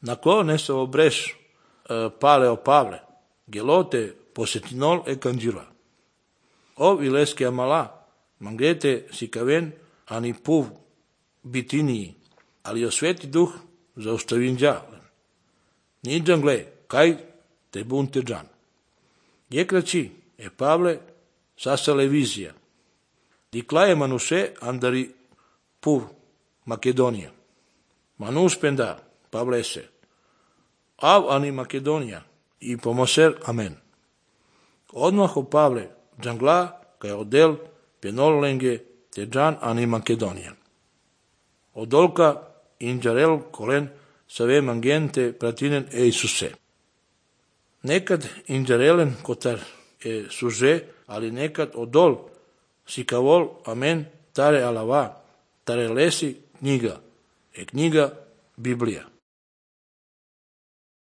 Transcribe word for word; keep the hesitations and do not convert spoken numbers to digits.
Nako nessa obreš uh, pale o Pavle, gelote posetinol e kanjira. Ov ileske amala, mangete sikaven, ani puv bitiniji, ali o sveti duh zaustavin džavlen. Niđan gle, kaj te bunte džan. Jekraći, e Pavle, sasale vizija. Diklaje manuše andari puv Makedonija. Manus penda, Pavle se. Av ani Makedonija i pomoser amen. Odmah o Pavle, džangla, kaj odel, penolenge, te džan ani Makedonija. Odolka inđarel kolen save mangente pratinen e Isuse. Nekad inđarelen kotar e suže, ali nekad odol sikavol amen tare alava, tare lesi knjiga, e knjiga Biblija.